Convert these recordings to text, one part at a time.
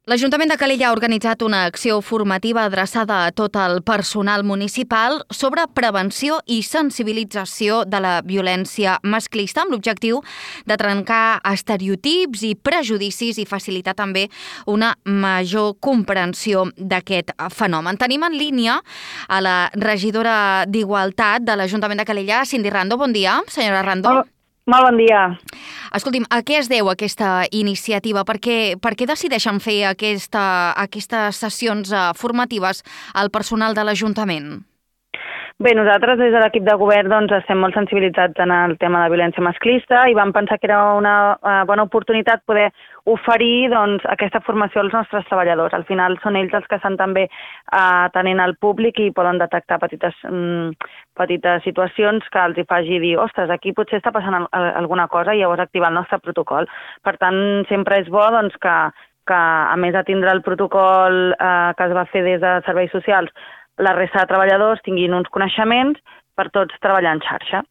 L'Ajuntament de Calella ha organitzat una acció formativa adreçada a tot el personal municipal sobre prevenció i sensibilització de la violència masclista amb l'objectiu de trencar estereotips i prejudicis i facilitar també una major comprensió d'aquest fenomen. Tenim en línia a la regidora d'Igualtat de l'Ajuntament de Calella, Cindy Rando. Bon dia, senyora Rando. Molt bon dia. Escolti'm, a què es deu aquesta iniciativa? Per què decideixen fer aquestes sessions formatives al personal de l'Ajuntament? Bé, nosaltres des de l'equip de govern estem molt sensibilitzats en el tema de violència masclista i vam pensar que era una bona oportunitat poder oferir aquesta formació als nostres treballadors. Al final són ells els que estan també atenent al públic i poden detectar petites situacions que els hi faci dir ostres, aquí potser està passant alguna cosa i llavors activar el nostre protocol. Per tant, sempre és bo que a més de tindre el protocol que es va fer des de serveis socials, la resta de treballadors tinguin uns coneixements per tots treballar en xarxa.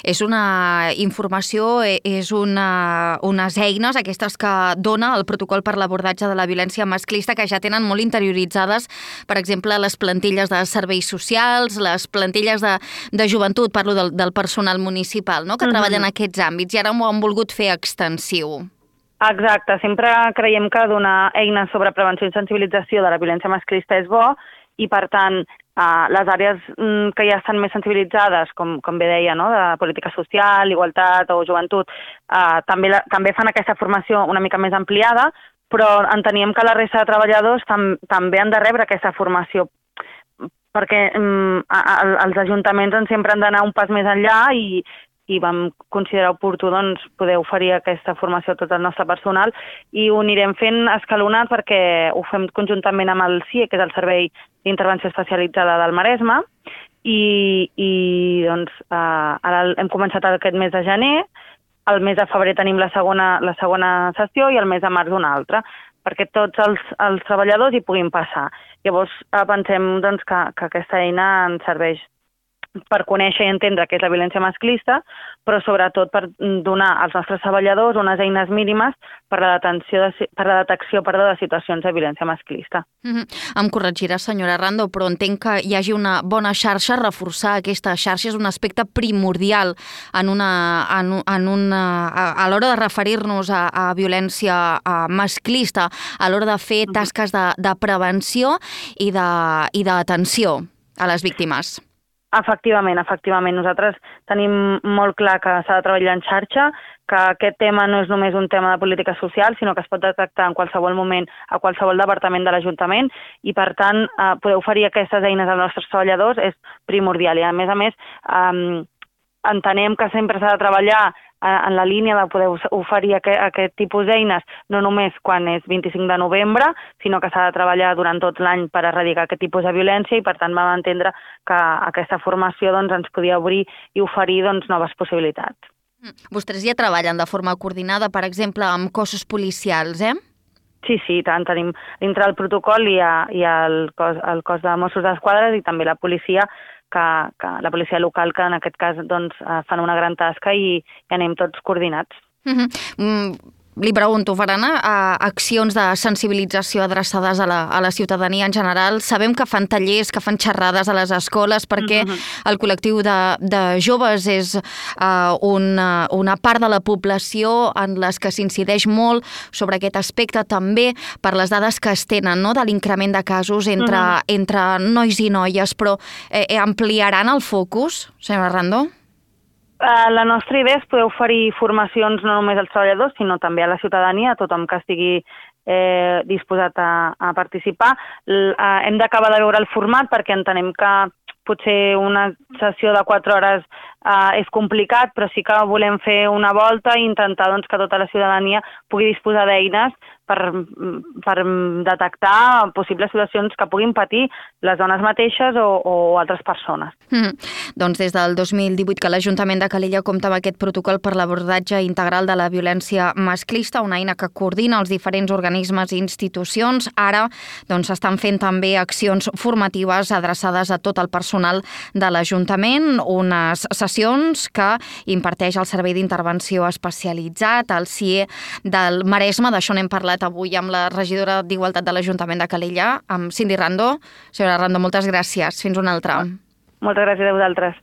És una informació, és unes eines, aquestes que dona el protocol per l'abordatge de la violència masclista, que ja tenen molt interioritzades, per exemple, les plantilles de serveis socials, les plantilles de joventut, parlo del personal municipal, no?, que treballen en aquests àmbits, i ara m'ho han volgut fer extensiu. Exacte, sempre creiem que donar eines sobre prevenció i sensibilització de la violència masclista és bo, i per tant les àrees que ja estan més sensibilitzades, com bé deia, no?, de política social, igualtat o joventut, també fan aquesta formació una mica més ampliada, però enteníem que la resta de treballadors també han de rebre aquesta formació, perquè els ajuntaments sempre han d'anar un pas més enllà i vam considerar oportú poder oferir aquesta formació a tot el nostre personal i ho anirem fent escalonat perquè ho fem conjuntament amb el CIE, que és el Servei d'Intervenció Especialitzada del Maresme, i ara hem començat aquest mes de gener, el mes de febrer tenim la segona sessió i el mes de març una altra, perquè tots els treballadors hi puguin passar. Llavors pensem que aquesta eina ens serveix per conèixer i entendre què és la violència masclista, però sobretot per donar als nostres treballadors unes eines mínimes per la detecció de situacions de violència masclista. Em corregirà, senyora Rando, però entenc que hi hagi una bona xarxa, reforçar aquesta xarxa és un aspecte primordial a l'hora de referir-nos a violència masclista, a l'hora de fer tasques de prevenció i d'atenció a les víctimes. Efectivament. Nosaltres tenim molt clar que s'ha de treballar en xarxa, que aquest tema no és només un tema de política social, sinó que es pot detectar en qualsevol moment a qualsevol departament de l'Ajuntament i, per tant, poder oferir aquestes eines als nostres treballadors és primordial. I, a més, entenem que sempre s'ha de treballar en la línia de poder oferir aquest tipus d'eines, no només quan és 25 de novembre, sinó que s'ha de treballar durant tot l'any per erradicar aquest tipus de violència i, per tant, vam entendre que aquesta formació ens podia obrir i oferir noves possibilitats. Vostès ja treballen de forma coordinada, per exemple, amb cossos policials, eh? Sí, tant. Tenim dintre el protocol i el cos de Mossos d'Esquadra i també la policia, que la policia local, que en aquest cas fan una gran tasca i anem tots coordinats. Li pregunto, faran accions de sensibilització adreçades a la ciutadania en general? Sabem que fan tallers, que fan xerrades a les escoles, perquè el col·lectiu de joves és una part de la població en les que s'incideix molt sobre aquest aspecte, també per les dades que es tenen, no?, de l'increment de casos entre nois i noies, però ampliaran el focus, senyora Rando? La nostra idea és poder oferir formacions no només als treballadors, sinó també a la ciutadania, a tothom que estigui disposat a participar. Hem d'acabar de veure el format perquè entenem que potser una sessió de 4 hores és complicat, però sí que volem fer una volta i intentar que tota la ciutadania pugui disposar d'eines per detectar possibles situacions que puguin patir les dones mateixes o altres persones. Doncs des del 2018 que l'Ajuntament de Calella compta amb aquest protocol per l'abordatge integral de la violència masclista, una eina que coordina els diferents organismes i institucions. Ara s'estan fent també accions formatives adreçades a tot el personal de l'Ajuntament, unes sessions formacions que imparteix el Servei d'Intervenció Especialitzat, el CIE del Maresme. D'això n'hem parlat avui amb la regidora d'Igualtat de l'Ajuntament de Calella, amb Cindy Rando. Senyora Rando, moltes gràcies. Fins una altra. Moltes gràcies a vosaltres.